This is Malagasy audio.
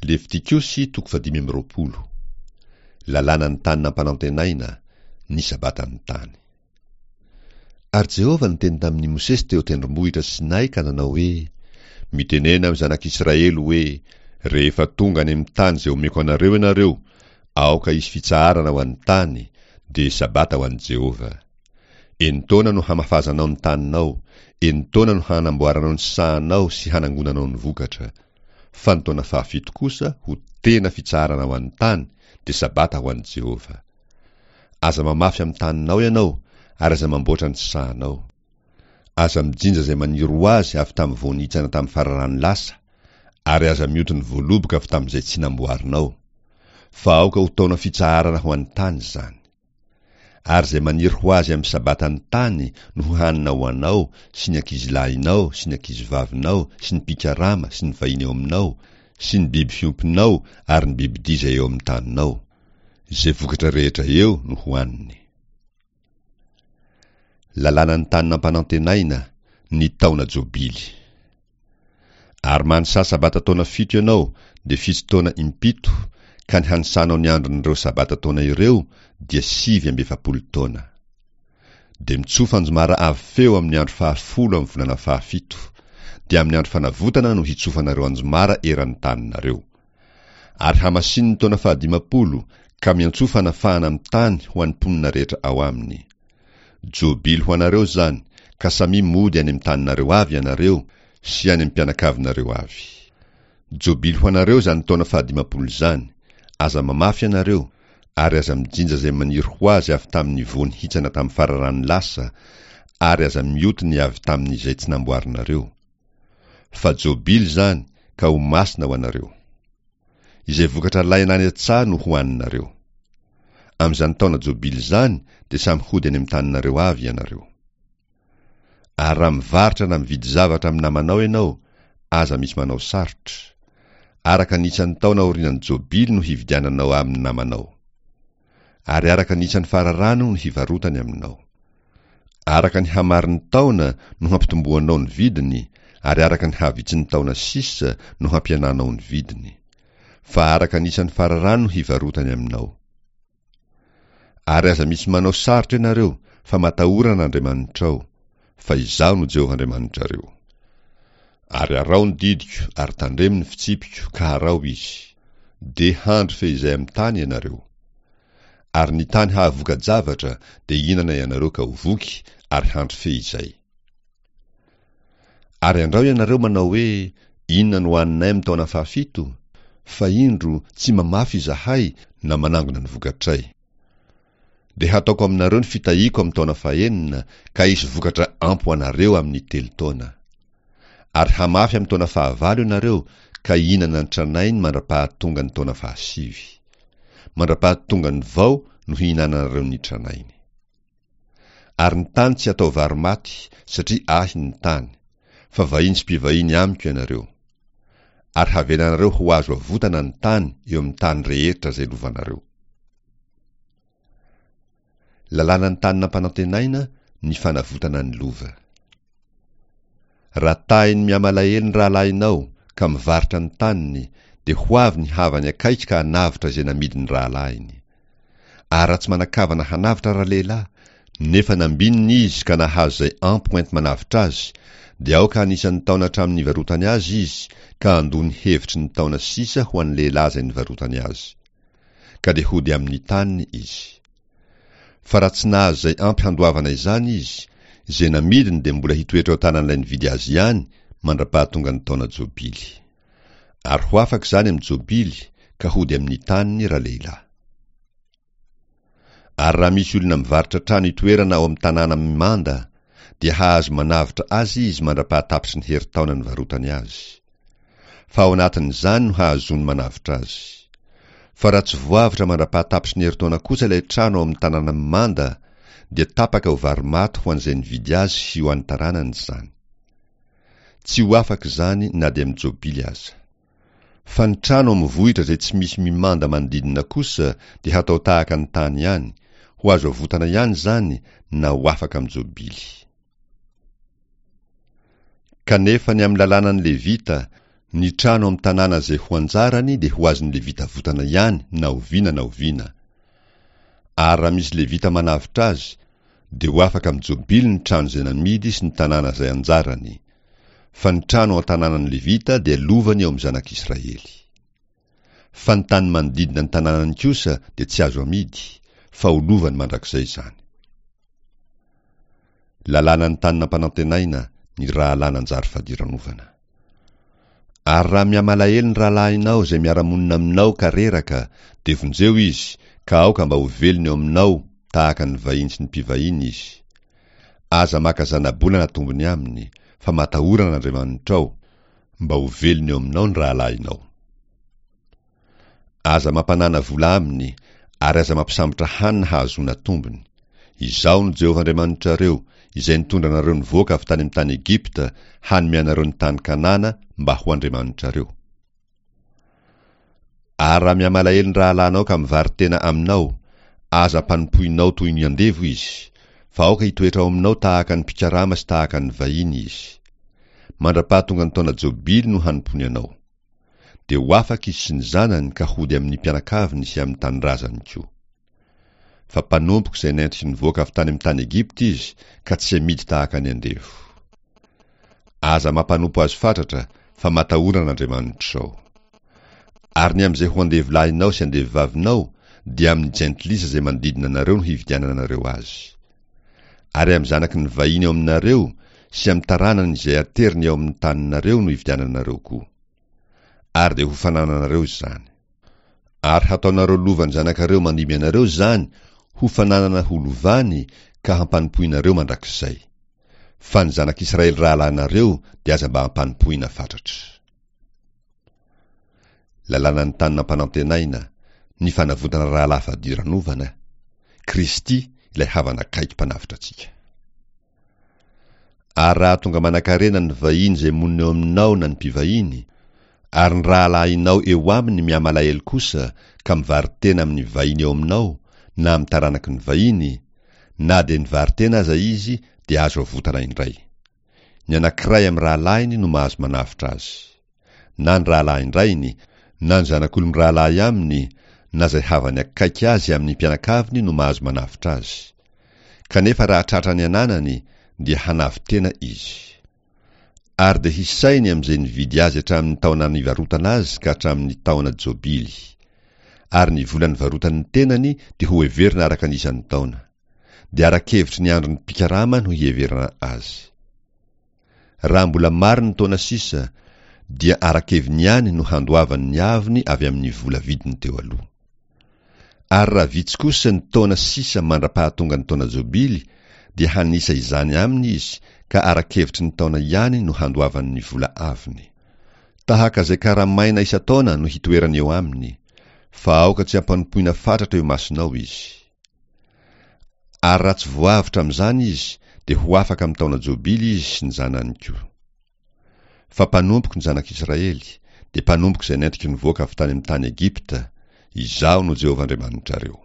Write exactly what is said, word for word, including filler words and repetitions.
Levitikosy toko fahadimy amby roapolo. Lalànan'ny tany nampanantenaina, ny Sabatan'ny tany. Ary Jehovah niteny tamin'i Mosesy teo an-tendrombohitra Sinay ka nanao hoe, Mitenena amin'ny zanak'Israely hoe, Rehefa tonga any amin'ny tany izay omeko anareo ianareo, aoka hisy fitsaharana ho an'ny tany, dia Sabata ho an'i Jehovah. Enin-taona no hamafazanao ny taninao, enin-taona no hanamboaranao ny sahanao sy hanangonanao ny vokatra. Fa ny taona fahafito kosa ho tena fitsaharana ho an'ny tany, dia Sabata ho an'i Jehovah. Aza mamafy amin'ny taninao ianao, ary aza mamboatra ny sahanao. Aza mijinja izay maniry ho azy avy tamin'ny vao nihitsana tamin'ny fararano lasa, ary aza mioty ny voaloboka avy tamin'izay tsy namboarinao. Fa aoka ho taona fitsaharana ho an'ny tany izany. Ary izay maniry ho azy amin'ny Sabatan'ny tany no hohanina ho anao sy ny ankizilahinao sy ny ankizivavinao sy ny mpikarama sy ny vahiny eo aminao sy ny biby fiompinao ary ny bibidia izay eo amin'ny taninao. Izay vokatra rehetra eo no hohaniny. Lalànan'ny tany nampanantenaina, ny taona jobily. Ary manisà sabata taona fito ianao, dia fito taona impito, ka ny hanisanao ny andron'ireo sabata taona ireo dia sivy amby efapolo taona. Dia mitsofa anjomara avo feo amin'ny andro fahafolo amin'ny volana fahafito, dia amin'ny andro fanavotana no hitsofanareo anjomara eran'ny taninareo. Ary hamasino ny taona fahadimampolo, ka miantsoa fanafahana amin'ny tany ho an'ny mponina rehetra ao aminy. Jobily ho anareo izany, ka samia mody any amin'ny taninareo avy ianareo, sy any amin'ny mpianakavinareo avy. Jobily ho anareo izany taona fahadimampolo izany, aza mamafy ianareo, ary aza mijinja izay maniry ho azy avy tamin'ny voa nihitsana tamin'ny fararano lasa, ary aza mioty ny avy tamin'izay tsy namboarinareo. Fa jobily izany, ka ho masina ho anareo. Izay vokatra alaina any an-tsaha no hohaninareo. Amin'izany taona jobily izany dia samy hody any amin'ny taninareo avy ianareo. Ary raha mivarotra na mividy zavatra amin'ny namanao ianao, aza misy manao sarotra. Araka ny isan'ny taona aorian'ny jobily no hividiananao amin'ny namanao. Ary araka ny isan'ny fararano no hivarotany aminao. Araka ny hamarin'ny taona no hampitomboanao ny vidiny, ary araka ny havitsin'ny taona sisa no hampihenanao ny vidiny. Fa araka ny isan'ny fararano no hivarotany aminao. Ary aza misy manao sarotra ianareo, fa matahora an'Andriamanitrao, fa Izaho no Jehovah Andriamanitrareo. Ary araho ny didiko ary tandremo ny fitsipiko ka araho izy. Dia handry fehizay amin'ny tany ianareo. Ary ny tany hahavoka-javatra dia hihinana ianareo ka ho voky ary handry fehizay. Ary andrao ianareo manao hoe, Inona no haninay amin'ny taona fahafito? Fa indro, tsy mamafy izahay na manangona ny vokatray. Dia hataoko aminareo ny fitahiako amin'ny taona fahenina, ka hisy vokatra ampy ho anareo amin'ny telo taona. Ary hamafy amin'ny taona fahavalo ianareo, ka hihinana ny tranainy mandra-pahatonga ny taona fahasivy. Mandra-pahatonga ny vao no hihinananareo ny tranainy. Ary ny tany tsy hatao vary maty, satria ahy ny tany, fa vahiny sy mpivahiny amiko ianareo. Ary havelanareo ho azo avotana ny tany eo amin'ny tany rehetra izay lovanareo. Lalànan'ny tany nampanantenaina, ny fanavotana ny lova. Raha tahiny mihamalahelo ny rahalahinao ka mivarotra ny taniny, dia ho avy ny havany akaiky ka hanavotra izay namidin'ny rahalahiny. Ary raha tsy manan-kavana hanavotra ralehilahy, nefa nambinina izy ka nahazo izay ampy hoenti-manavotra azy, dia aoka anisan'ny taona hatramin'ny nivarotany azy izy ka handoa ny hevitry ny taona sisa ho an'ny lehilahy izay nivarotany azy. Ka dia hody amin'ny taniny izy. Fa raha tsy nahazo izay ampy handoavana izany izy, izay namidiny dia mbola hitoetra ao an-tanan'ilay nividy azy ihany mandra-pahatonga ny taona jobily. Ary ho afaka izany amin'ny jobily ka hody amin'ny taniny ralehilahy. Ary raha misy olona mivarotra trano itoerana ao amin'ny tanàna mimanda, dia hahazo manavotra azy izy mandra-pahatapitry ny herintaona nivarotany azy. Fa ao anatin'izany no hahazoany manavotra azy. Fa raha tsy voavotra mandra-pahatapitry ny herintaona kosa ilay trano ao amin'ny tanàna mimanda, dia tapaka ho vary maty ho an'izay nividy azy sy ho an'ny taranany izany. Tsy ho afaka izany na dia amin'ny jobily aza. Fa ny trano amin'ny vohitra izay tsy misy mimanda manodidina kosa dia hatao tahaka ny tany ihany, ho azo avotana ihany izany na ho afaka amin'ny jobily. Kanefa ny amin'ny lalànan'ny Levita, Ny trano amin'ny tanàna izay ho anjarany dia ho azon'ny Levita avotana ihany na oviana na oviana. Ary raha misy Levita manavotra azy, dia ho afaka amin'ny jobily ny trano izay namidy sy ny tanàna izay anjarany. Fa ny trano ao an-tanànan'ny Levita dia lovany eo amin'ny zanak'Israely. Fa ny tany manodidina ny tanànany kosa dia tsy azo amidy, fa ho lovany mandrakizay izany. Lalànan'ny tany nampanantenaina, ny rahalahy nanjary fadiranovana. Ary raha mihamalahelo ny rahalahinao izay miara-monina aminao ka reraka, dia vonjeo izy, ka aoka mba ho velona eo aminao tahaka ny vahiny sy ny mpivahiny izy. Aza maka zanabola na tombony aminy, fa matahora an'Andriamanitrao, mba ho velona eo aminao ny rahalahinao. Aza mampanana vola aminy, ary aza mampisambotra hanina hahazoana tombony. Izaho no Jehovah Andriamanitrareo, izay nitondra anareo nivoaka avy tany amin'ny tany Egypta, hanome anareo ny tany Kanana mba ho Andriamanitrareo. Ary raha mihamalahelo ny rahalahinao ka mivaro-tena aminao, aza ampanompoinao toy ny andevo izy, fa aoka hitoetra ao aminao tahaka ny mpikarama sy tahaka ny vahiny izy. Mandra-pahatonga ny taona jobily no hanompoany anao. Dia ho afaka izy sy ny zanany ka hody amin'ny mpianakaviny sy amin'ny tanindrazany koa. Fa mpanompoko izay nentiko nivoaka avy tany amin'ny tany Egypta izy, ka tsy amidy tahaka ny andevo. Aza mampanompo azy fatratra, fa matahora an'Andriamanitrao. Ary ny amin'izay ho andevolahinao sy andevovavinao, dia amin'ny jentilisa izay manodidina anareo no hividiananareo azy. Ary amin'ny zanaky ny vahiny eo aminareo sy amin'ny taranany izay ateriny eo amin'ny taninareo no hividiananareo koa. Ary dia ho fanananareo izany. Ary hataonareo lovan'ny zanakareo mandimby anareo izany ho fananana ho lovany ka hampanompoinareo mandrakizay. Fa ny zanak'Israely rahalahinareo dia aza mba hampanompoina fatratra. Lalànan'ny tany nampanantenaina, ny fanavotana rahalahy fadiranovana, Kristy ilay havana akaiky mpanavotra antsika. Ary raha tonga manan-karena ny vahiny izay monina eo aminao na ny mpivahiny, ary ny rahalahinao eo aminy mihamalahelo kosa ka mivaro-tena amin'ny vahiny eo aminao na amin'ny taranaky ny vahiny, na dia nivaro-tena aza izy dia azo avotana indray. Ny anankiray amin'ny rahalahiny no mahazo manavotra azy. Na ny rahalahin-drainy, na ny zanak'olo-mirahalahy aminy, na izay havany akaiky azy amin'ny mpianakaviny no mahazo manavotra azy. Kanefa raha tratra ny ananany, dia hanavo-tena izy. Ary dia hisainy amin'izay nividy azy hatramin'ny taona nivarotana azy ka hatramin'ny taona jobily. Ary ny vola nivarotany ny tenany dia ho heverina araka ny isan'ny taona. Dia ara-kevitry ny andron'ny mpikarama no hiheverana azy. Raha mbola maro ny taona sisa, dia ara-keviny ihany no handoavany ny avony avy amin'ny vola vidiny teo aloha. Ary raha vitsy kosa ny taona sisa mandra-pahatonga ny taona jobily, dia hanisa izany aminy izy ka ara-kevitry ny taona ihany no handoavany ny vola avony. Tahaka izay karamaina isan-taona no hitoerany eo aminy, fa aoka tsy hampanompoina fatratra eo imasonao izy. Ary raha tsy voavotra amin'izany izy, dia ho afaka amin'ny taona jobily izy sy ny zanany koa. Fa mpanompoko ny zanak'Israely, dia mpanompoko izay nentiko nivoaka avy tany amin'ny tany Egypta, Izaho no Jehovah Andriamanitrareo.